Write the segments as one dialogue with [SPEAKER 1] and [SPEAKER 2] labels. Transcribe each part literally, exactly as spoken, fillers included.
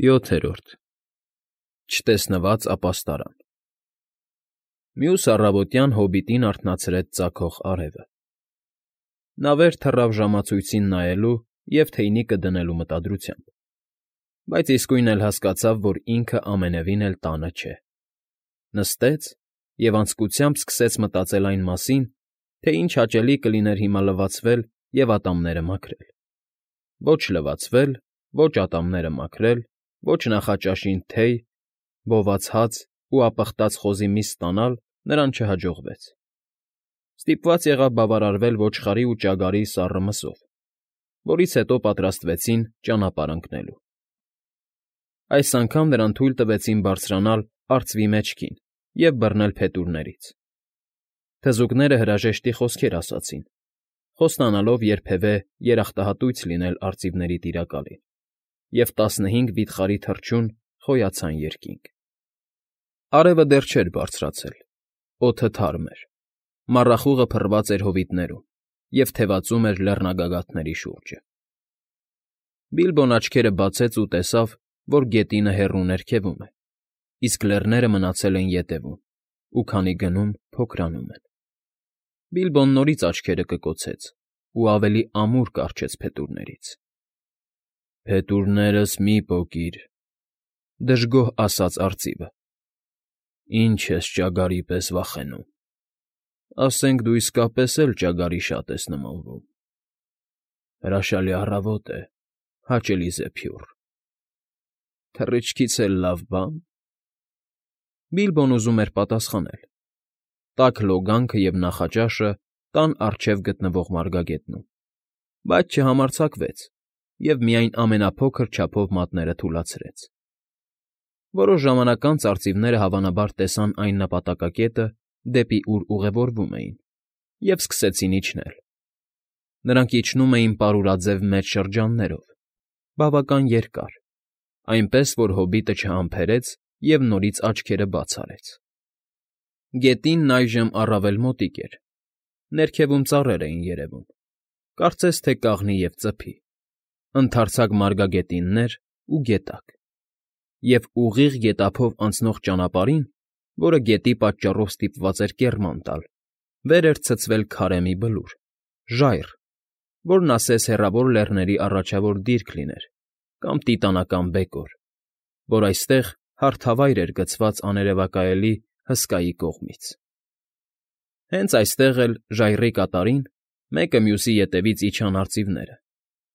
[SPEAKER 1] ՅՈԹԵՐՈՐԴ Չտեսնված ապաստարան Մյուս առավոտյան հոբիտին արթնացրեց ծագող արևը։ Նա վեր թռավ ժամացույցին նայելու և թեյնիկը դնելու մտադրությամբ, բայց իսկույն էլ հասկացավ, որ ինքը ամենևին էլ տանը չէ. նստեց և անձկությամբ սկսեց մտածել այն մասին, թե ինչ հաճելի կլիներ հիմա լվացվել և ատամները մաքրել. ոչ լվացվել, ոչ ատամները մաքրել, ոչ նախաճաշին թեյ, բոված հաց ու ապխտած խոզի միս ստանալ նրան չհաջողվեց. ստիպված եղավ բավարարվել ոչխարի ու ճագարի սառը մսով, որից հետո պատրաստվեցին ճանապարհ ընկնելու։ Այս անգամ նրան թույլ տվեցին բարձրանալ արծվի մեջքին և բռնել փետուրներից. թզուկները հրաժեշտի խոսքեր ասացին, խոստանալով երբևէ երախտահատույց լինել արծիվների Տիրակալին, և տասնհինգ վիթխարի թռչուն խոյացան երկինք։ Արևը դեռ չէր բարձրացել, օդը թարմ էր, մառախուղը փռված էր հովիտներում և թևածում էր լեռնագագաթների շուրջը։ Բիլբոն աչքերը բացեց ու տեսավ, որ գետինը հեռու ներքևում է, իսկ լեռները մնացել են ետևում ու քանի գնում, փոքրանում են։ Բիլբոն նորից աչքերը կկոցեց ու ավելի ամուր կառչեց փետուրներից։ ֊ Փետուրներս մի՛ պոկիր,֊ դժգոհ ասաց արծիվը։֊ Ինչ ես ճագարի պես վախենում… Ասենք դու իսկապես էլ ճագարի շատ ես նմանվում… Հրաշալի առավոտ է, հաճելի զեփյուռ… Թռիչքից էլ լավ բա՞ն… Բիլբոն ուզում էր պատասխանել. տաք լոգանքը և նախաճաշը տան առջև գտնվող մարգագետնում, բայց չհամարձակվեց և միայն ամենափոքր չափով մատները թուլացրեց։ Որոշ ժամանակ անց արծիվները հավանաբար տեսան այն նպատակակետը, դեպի ուր ուղևորվում էին, և սկսեցին իջնել։ Նրանք իջնում էին պարուրաձև մեծ շրջաններով, բավական երկար, այնպես որ հոբիտը չհամբերեց և նորից աչքերը բաց արեց։ Գետինն այժմ առավել մոտիկ էր, ներքևում ծառեր էին երևում, կարծես թե կաղնի և ծփի, ընդարձակ մարգագետիններ ու գետակ, և ուղիղ գետափով անցնող ճանապարհին, որը գետի պատճառով ստիպված էր կեռման տալ, վեր էր ցցվել քարե մի բլուր, ժայռ, որն ասես հեռավոր լեռների առաջավոր դիրք լիներ կամ տիտանական բեկոր, որ այստեղ հարթավայր էր գցված աներևակայելի հսկայի կողմից։ Հենց այստեղ էլ, ժայռի կատարին, մեկը մյուսի ետևից իջան արծիվները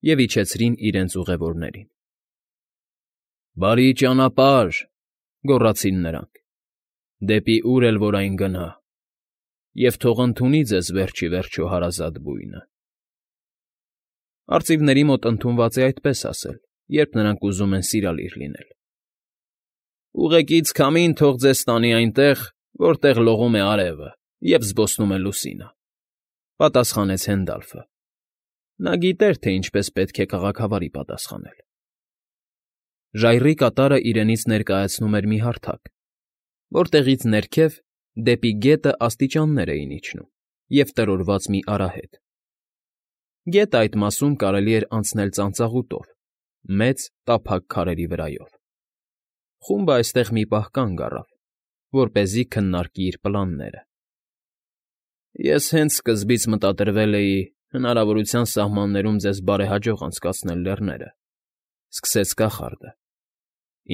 [SPEAKER 1] և իջեցրին իրենց ուղևորներին։ ֊ Բարի ճանապարհ,֊ գոռացին նրանք,֊ դեպի ուր էլ որ այն գնա, և թող ընդունի ձեզ վերջ ի վերջո հարազատ բույնը… Արծիվների մոտ ընդունված է այդպես ասել, երբ նրանք ուզում են սիրալիր լինել։ ֊ Ուղեկից քամին թող ձեզ տանի այնտեղ, որտեղ լողում է արևը և զբոսնում է լուսինը,֊ պատասխանեց Հենդալֆը. նա գիտեր, թե ինչպես պետք է քաղաքավարի պատասխանել։ Ժայռի կատարը իրենից ներկայացնում էր մի հարթակ, որտեղից ներքև, դեպի գետը աստիճաններ էին իջնում և տրորված մի արահետ։ Գետը այդ մասում կարելի էր անցնել ծանծաղուտով, մեծ, տափակ քարերի վրայով։ Խումբը այստեղ մի պահ կանգ առավ, որպեսզի քննարկի իր պլանները։ ֊ Ես հենց սկզբից մտադրվել էի հնարավորության սահմաններում ձեզ բարեհաջող անցկացնել լեռները,֊ սկսեց կախարդը,֊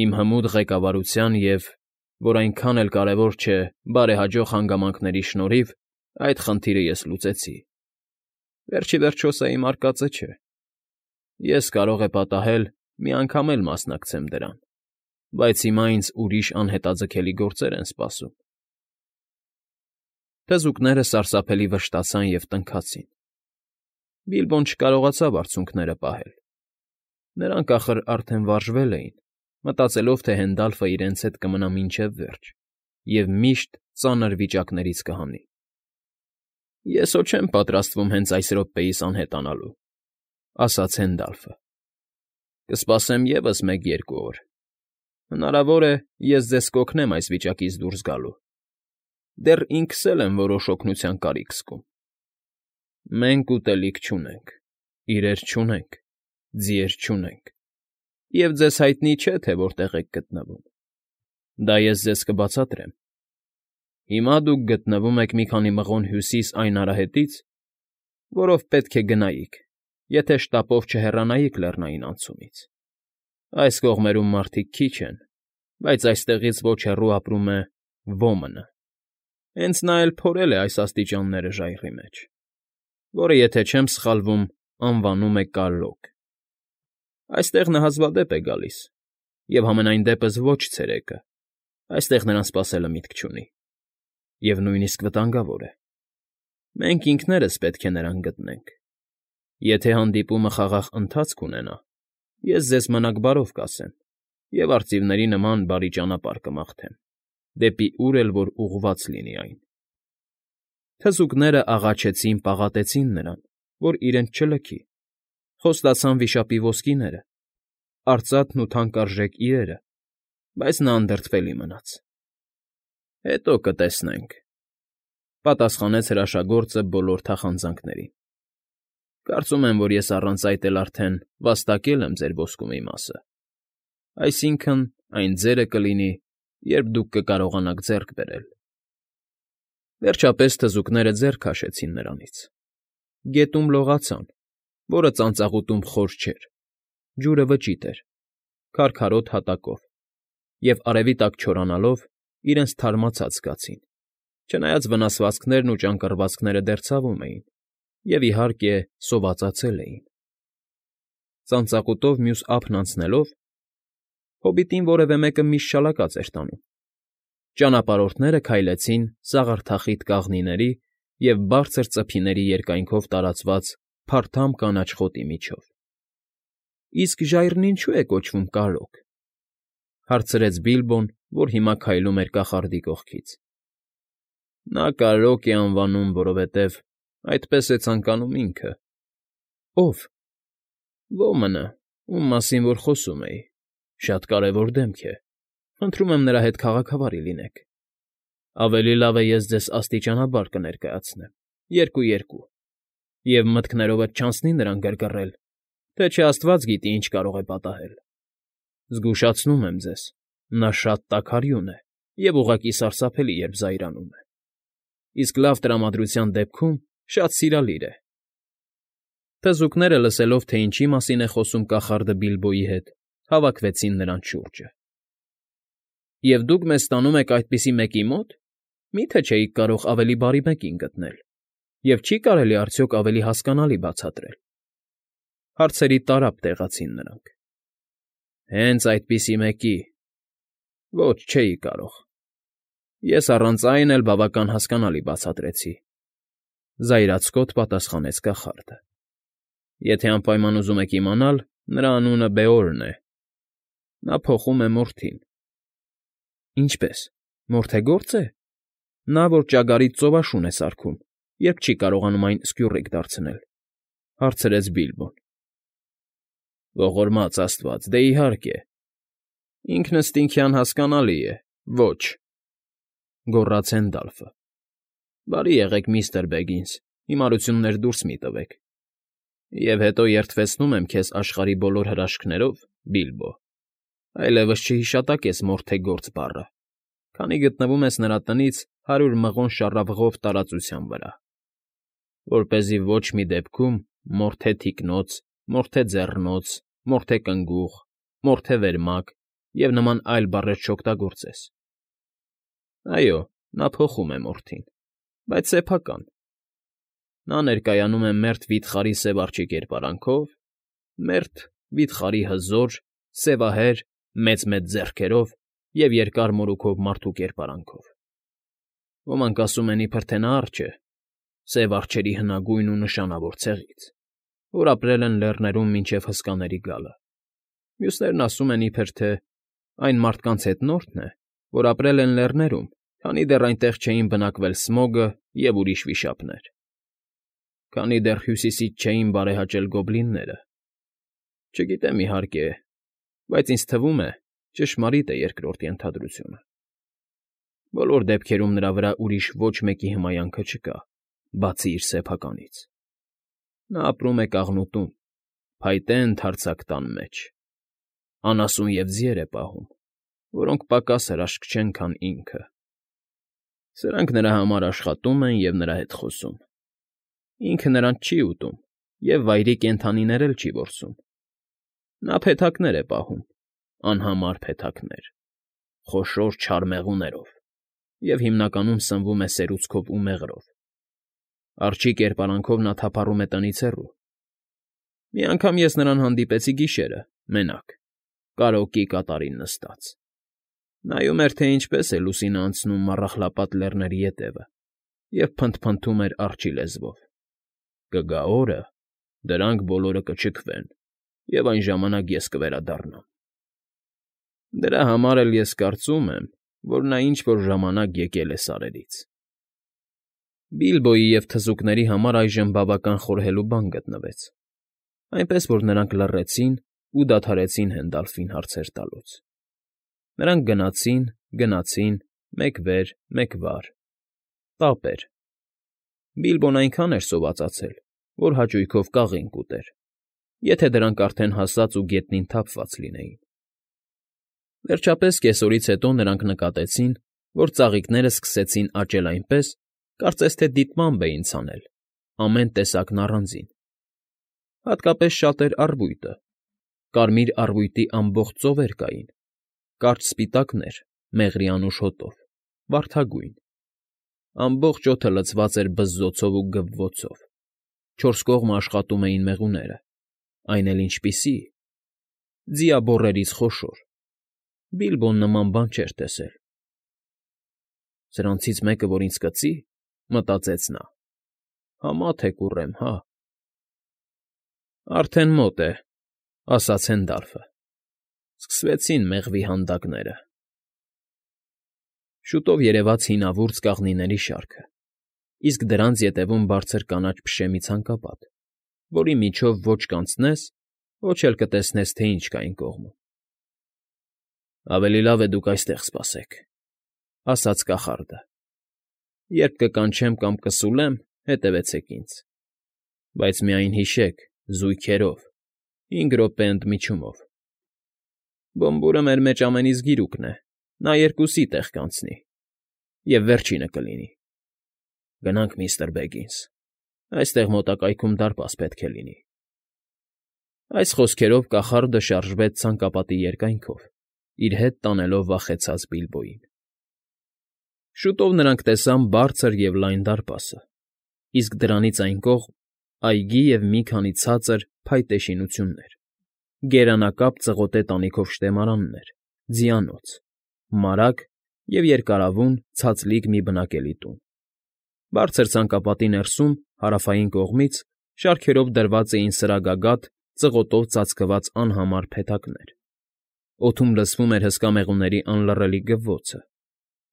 [SPEAKER 1] իմ հմուտ ղեկավարության և, որ այնքան էլ կարևոր չէ, բարեհաջող հանգամանքների շնորհիվ այդ խնդիրը ես լուծեցի։ Վերջ ի վերջո սա իմ արկածը չէ։ Ես, կարող է պատահել, մի անգամ էլ մասնակցեմ դրան, բայց հիմա ինձ ուրիշ անհետաձգելի գործեր են սպասում… Թզուկները սարսափելի վշտացան և տնքացին։ Բիլբոն չկարողացավ արցունքները պահել. նրանք, ախր, արդեն վարժվել էին, մտածելով, թե Հենդալֆը իրենց հետ կմնա մինչև վերջ և միշտ ծանր վիճակներից կհանի։ ֊ Ես հո չեմ պատրաստվում հենց այս րոպեիս անհետանալու,֊ ասաց Հենդալֆը,֊ կսպասեմ ևս մեկ֊երկու օր… Հնարավոր է, ես ձեզ կօգնեմ այս վիճակից դուրս գալու… Դեռ ինքս էլ եմ որոշ օգնության կարիք զգում… Մենք ուտելիք չունենք, իրեր չունենք, ձիեր չունենք, և ձեզ հայտնի չէ, թե որտեղ եք գտնվում։ Դա ես ձեզ կբացատրեմ։ Հիմա դուք գտնվում եք մի քանի մղոն հյուսիս այն արահետից, որով պետք է գնայիք, եթե շտապով չհեռանայիք լեռնային անցումից։ Այս կողմերում մարդիկ քիչ են, բայց այստեղից ոչ հեռու ապրում է Ոմնը։ Հենց նա էլ փորել է այս աստիճանները ժայռի մեջ, որը, եթե չեմ սխալվում, անվանում է Կարրոկ։ Այստեղ նա հազվադեպ է գալիս, և համենայն դեպս ոչ ցերեկը, այստեղ նրան սպասելը միտք չունի, և նույնիսկ վտանգավոր է։ Մենք ինքներս պետք է նրան գտնենք։ Եթե հանդիպումը խաղաղ ընթացք ունենա, ես ձեզ մնաք բարով կասեմ և արծիվների նման բարի ճանապարհ կմաղթեմ, դեպի ուր էլ որ ուղղված լինի այն։ Թզուկները աղաչեցին, պաղատեցին նրան, որ իրենց չլքի, խոստացան վիշապի ոսկիները, արծաթն ու թանկարժեք իրերը, բայց նա անդրդվելի մնաց։ ֊ Հետո կտեսնենք,֊ պատասխանեց հրաշագործը բոլոր թախանձնանքներին։ Կարծում եմ, որ ես առանց այդ էլ արդեն վաստակել եմ ձեր ոսկու մի մասը, այսինքն՝ այն ձերը կլինի, երբ դուք կկարողանաք ձեռք բերել։ Վերջապես թզուկները ձեռ քաշեցին նրանից։ Գետում լողացան, որը ծանծաղուտում խոր չէր, ջուրը վճիտ էր, քարքարոտ հատակով, և արևի տակ չորանալով իրենց թարմացած զգացին, չնայած վնասվածքներն ու ճանկռվածքները դեռ ցավում էին և, իհարկե, սովածացել էին։ Ծանծաղուտով մյուս ափն անցնելով հոբիտին որևէ մեկը միշտ շալակած էր տանում։ Ճանապարհորդները քայլեցին սաղարթախիտ կաղնիների և բարձր ծփիների երկայնքով տարածված փարթամ կանաչ խոտի միջով։ ֊ Իսկ ժայռն ինչո՞ւ է կոչվում Կարրոկ,֊ հարցրեց Բիլբոն, որ հիմա քայլում էր կախարդի կողքից։ ֊ Նա Կարրոկ է անվանում, որովհետև այդպես է ցանկանում ինքը։ ֊ Ո՞վ։ ֊ Ոմնը, ում մասին որ խոսում էի, շատ կարևոր դեմք է, խնդրում եմ նրա հետ քաղաքավարի լինեք։ Ավելի լավ է ես ձեզ աստիճանաբար կներկայացնեմ, երկու֊երկու, և մտքներովդ չանցնի նրան գրգռել, թե չէ աստված գիտի, ինչ կարող է պատահել։ Զգուշացնում եմ ձեզ, նա շատ տաքարյուն է և ուղղակի սարսափելի, երբ զայրանում է, իսկ լավ տրամադրության դեպքում շատ սիրալիր է։ Թզուկները, լսելով, թե ինչի մասին է խոսում կախարդը Բիլբոյի հետ, հավաքվեցին նրանց շուրջը։ ֊ Եվ դուք մեզ տանում եք այդպիսի մեկի մոտ, մի՞թե չէիք կարող ավելի բարի մեկին գտնել, և չի՞ կարելի արդյոք ավելի հասկանալի բացատրել,֊ հարցերի տարափ տեղացին նրանք։ ֊ Հենց այդպիսի մեկի… Ոչ, չէի կարող… Ես առանց այն էլ բավական հասկանալի բացատրեցի,֊ զայրացկոտ պատասխանեց կախարդը։ Եթե անպայման ուզում եք իմանալ, նրա անունը Բեորն է, նա փոխում է մորթին։ ֊ Ինչպե՞ս, մորթագործ է։ Նա, որ ճագարից ծովաշուն է սարքում, երբ չի կարողանում այն սկյուռիկ դարձնել,֊ հարցրեց Բիլբոն։ ֊ Ողորմած աստված, դե, իհարկե, ինքնըստինքյան հասկանալի է, ոչ,֊ գոռաց Հենդալֆը։ ֊ Բարի եղեք, միստր Բեգինս, հիմարություններ դուրս մի՛ տվեք։ Եվ հետո երդվեցնում եմ քեզ աշխարհի բոլոր հրաշքներով, Բիլբո, այլևս չհիշատակես մորթագործ բառը, քանի գտնվում ես նրա տնից հարյուր մղոն շառավղով տարածության վրա, որպեսզի ոչ մի դեպքում մորթե թիկնոց, մորթե ձեռնոց, մորթե կնգուղ, մորթե վերմակ և նման այլ բառեր չօգտագործես։ Այո, նա փոխում է մորթին, բայց սեփական։ Նա ներկայանում է մերթ վիթխարի սև արջի կերպարանքով, մերթ վիթխարի հզոր, սևահեր, մեծ֊մեծ ձեռքերով և երկար մորուքով մարդու կերպարանքով։ Ոմանք ասում են, իբրև թե նա արջ է, սև արջերի հնագույն ու նշանավոր ցեղից, որ ապրել են լեռներում մինչև հսկաների գալը, մյուսներն ասում են, իբրև թե այն մարդկանց հետնորդն է, որ ապրել են լեռներում, քանի դեռ այնտեղ չէին բնակվել Սմոգը և ուրիշ վիշապներ, քանի դեռ հյուսիսից չէին բարեհաճել գոբլինները։ Չգիտեմ, իհարկե, բայց ինձ թվում է, ճշմարիտ է երկրորդ ենթադրությունը։ Բոլոր դեպքերում նրա վրա ուրիշ ոչ մեկի հմայանքը չկա, բացի իր սեփականից։ Նա ապրում է կաղնուտում, փայտե ընդարձակ տան մեջ։ անասուն և ձիեր է պահում, որոնք պակաս հրաշք չեն, քան ինքը. սրանք նրա համար աշխատում են և նրա հետ խոսում. ինքը նրանց չի ուտում և վայրի կենդանիներ էլ չի որսում. նա փեթակներ է պահում, անհամար փեթակներ, խոշոր չար մեղուներով և հիմնականում սնվում է սերուցքով ու մեղրով. արջի կերպարանքով նա թափառում է տնից հեռու. մի անգամ ես նրան հանդիպեցի գիշերը, մենակ, կարրոկի կատարին նստած. նայում էր, թե ինչպես է լուսինը անցնում Մառախլապատ Լեռների ետևը և փնթփնթում էր արջի լեզվով. «Կգա օրը, դրանք բոլորը կչքվեն, և այն ժամանակ ես կվերադառնամ»։ Դրա համար էլ ես կարծում եմ, որ նա ինչ֊որ ժամանակ եկել է սարերից։ Բիլբոյի և թզուկների համար այժմ բավական խորհելու բան գտնվեց, այնպես որ նրանք լռեցին ու դադարեցին Հենդալֆին հարցեր տալուց. նրանք գնացին, գնացին, մեկ վեր, մեկ վար. տապ էր. Բիլբոն այնքան էր սովածացել, որ հաճույքով կաղին կուտեր, եթե դրանք արդեն հասած ու գետնին թափված լինեին։ Վերջապես կեսօրից հետո նրանք նկատեցին, որ ծաղիկներն սկսեցին աճել այնպես, կարծես թե դիտմամբ էին ցանել, ամեն տեսակն առանձին. հատկապես շատ էր առվույտը, կարմիր առվույտի ամբողջ ծովեր կային, կարճ սպիտակներ մեղրի անուշ հոտով, վարդագույն. ամբողջ օդը լցված էր բզզոցով ու գվվոցով, չորս կողմը աշխատում էին մեղուները, այն էլ ինչպիսի՜, ձիաբոռերից խոշոր. Բիլբոն նման բան չէր տեսել։ «Սրանցից մեկը, որ ինձ կծի,֊ մտածեց նա,֊ համա թե կուռեմ, հա»։ «Արդեն մոտ է,֊ ասաց Հենդալֆը,֊ սկսվեցին մեղվի հանդակները»։ Շուտով երևաց հինավուրց կաղնիների շարքը, իսկ դրանց ետևում բարձր կանաչ փշե մի ցանկապատ, որի միջով ոչ կանցնես, ոչ էլ կտեսնես, թե ինչ կա այն կողմում։ «Ավելի լավ է դուք այստեղ սպասեք,֊ ասաց կախարդը,֊ երբ կկանչեմ կամ կսուլեմ, հետևեցեք ինձ, բայց միայն հիշեք, զույգերով, հինգ րոպե ընդմիջումով։ Բոմբուրը մեր մեջ ամենից գիրուկն է, նա երկուսի տեղ կանցնի, և վերջինը կլինի։ Գնանք, միստր Բեգինս, այստեղ մոտակայքում դարպաս պետք է լինի»։ Այս խոսքերով կախարդը շարժվեց ցանկապատի երկայնքով, իր հետ տանելով վախեցած Բիլբոյին։ Շուտով նրանք տեսան բարձր և լայն դարպասը, իսկ դրանից այն կողմ՝ այգի և մի քանի ցածր, փայտե շինություններ, գերանակապ ծղոտե տանիքով շտեմարաններ, ձիանոց, մարագ և երկարավուն, ցածլիկ մի բնակելի տուն։ Բարձր ցանկապատի ներսում, հարավային կողմից, շարքերով դրված էին սրագագաթ, ծղոտով ծածկված անհամար փեթակներ, օդում լսվում էր հսկա մեղուների անլռելի գվվոցը,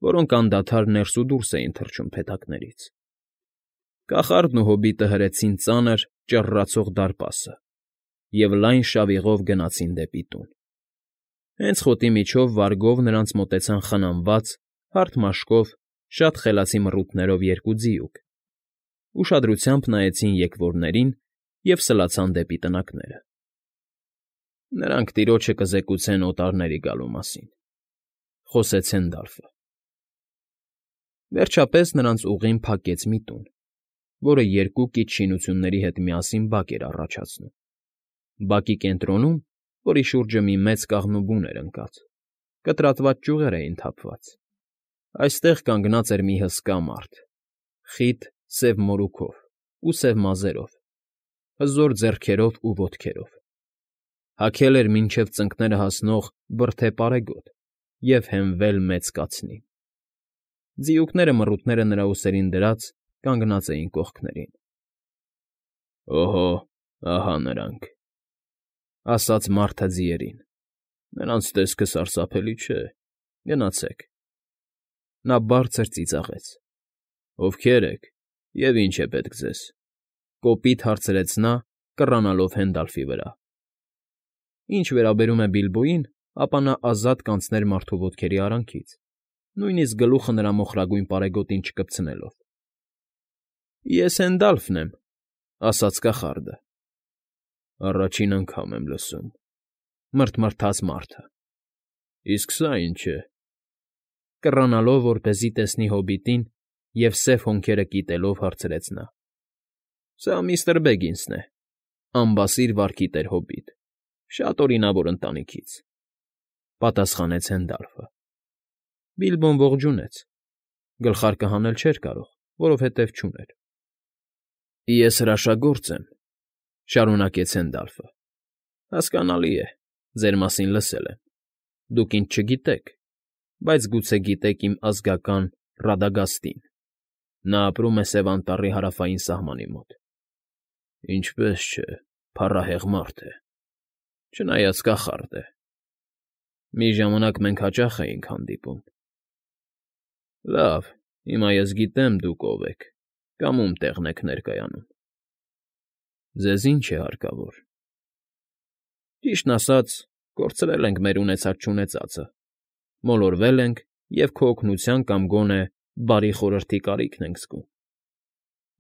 [SPEAKER 1] որոնք անդադար ներս ու դուրս էին թռչում փեթակներից։ Կախարդն ու հոբիտը հրեցին ծանր, ճռռացող դարպասը և լայն շավիղով գնացին դեպի տուն։ Հենց խոտի միջով վարգով նրանց մոտեցան խնամված, հարթ մաշկով, շատ խելացի մռութներով երկու ձիուկ, ուշադրությամբ նայեցին եկվորներին և սլացան դեպի տնակները։ «Նրանք տիրոջը կզեկուցեն օտարների գալու մասին,֊ խոսեց Հենդալֆը։ Վերջապես նրանց ուղին փակեց մի տուն, որը երկու կից շինությունների հետ միասին բակ էր առաջացնում։ Բակի կենտրոնում, որի շուրջը մի մեծ կաղնու բուն էր ընկած, կտրատված ճյուղեր էին թափված։ Այստեղ կանգնած էր մի հսկա մարդ՝ խիտ սև մորուքով ու սև մազերով, հզոր ձեռքերով ու ոտքերով. հագել էր մինչև ծնկները հասնող բրդե պարեգոտ և հենվել մեծ կացնին։ Ձիուկները մռութները նրա ուսերին դրած կանգնած էին կողքերին։ «Օհո, ահա նրանք,֊ ասաց մարդը ձիերին,֊ նրանց տեսքը սարսափելի չէ, գնացեք»։ Նա բարձր ծիծաղեց. «Ովքե՞ր եք և ի՞նչ է պետք ձեզ», կոպիտ հարցրեց նա, կռանալով Հենդալֆի վրա։ Ինչ վերաբերում է Բիլբոյին, ապա նա ազատ կանցներ մարդու ոտքերի արանքից, նույնիսկ գլուխը նրա մոխրագույն պարետոգին չկպցնելով։ «Ես Հենդալֆն եմ,֊ ասաց կախարդը։ ֊ Առաջին անգամ եմ լսում,֊ մռթմռթաց մարդը։ Իսկ սա ի՞նչ է,֊ կռանալով, որպեսզի տեսնի հոբիտին և սև հոնքերը կիտելով հարցրեց նա։ ֊ Սա միստր Բեգինսն է, անբասիր վարքի տեր հոբիտ, շատ օրինավոր ընտանիքից,֊ պատասխանեց Հենդալֆը։ Բիլբոն ողջունեց, գլխարկը հանել չէր կարող, որովհետև չուներ։ ֊ Ես հրաշագործ եմ,֊ շարունակեց Հենդալֆը,֊ հասկանալի է, ձեր մասին լսել եմ, դուք ինձ չգիտեք, բայց գուցե գիտեք իմ ազգական Ռադագաստին. նա ապրում է Սև Անտառի հարավային սահմանի մոտ։ ֊ Ինչպես չէ, փառահեղ մարդ է, չնայած կախարդ է։ Մի ժամանակ մենք հաճախ էինք հանդիպում։ ֊ Լավ, հիմա ես գիտեմ դուք ով եք կամ ում տեղն եք ներկայանում։ Ձեզ ի՞նչ է հարկավոր։ ֊ Ճիշտն ասած, կորցրել ենք մեր ունեցած֊չունեցածը, մոլորվել ենք և քո օգնության կամ գոնե բարի խորհրդի կարիքն ենք զգում։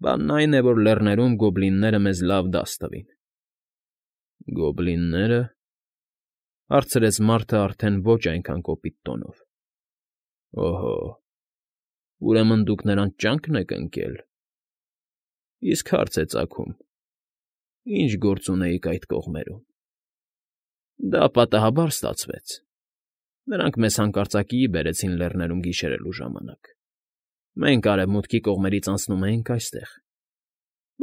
[SPEAKER 1] Բանն այն է, որ լեռներում գոբլինները մեզ լավ դաս տվին։ ֊ Գոբլիննե՞րը,֊ հարցրեց մարդը արդեն ոչ այնքան կոպիտ տոնով։ ֊ Օհո, ուրեմն դուք նրանց ճա՞նկն եք ընկել։ Իսկ հարց է ծագում. ի՞նչ գործ ունեիք այդ կողմերում։ ֊ Դա պատահաբար ստացվեց. նրանք մեզ հանկարծակիի բերեցին լեռներում գիշերելու ժամանակ։ Մենք արևմուտքի կողմերից անցնում էինք այստեղ,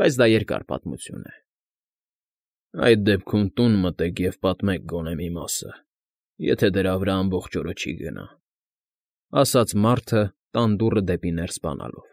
[SPEAKER 1] բայց դա երկար պատմություն է։ ֊ Այդ դեպքում տուն մտեք և պատմեք գոնե մի մասը, եթե դրա վրա ամբողջ օրը չի գնա,֊ ասաց մարդը, տան դուռը դեպի ներս բանալով։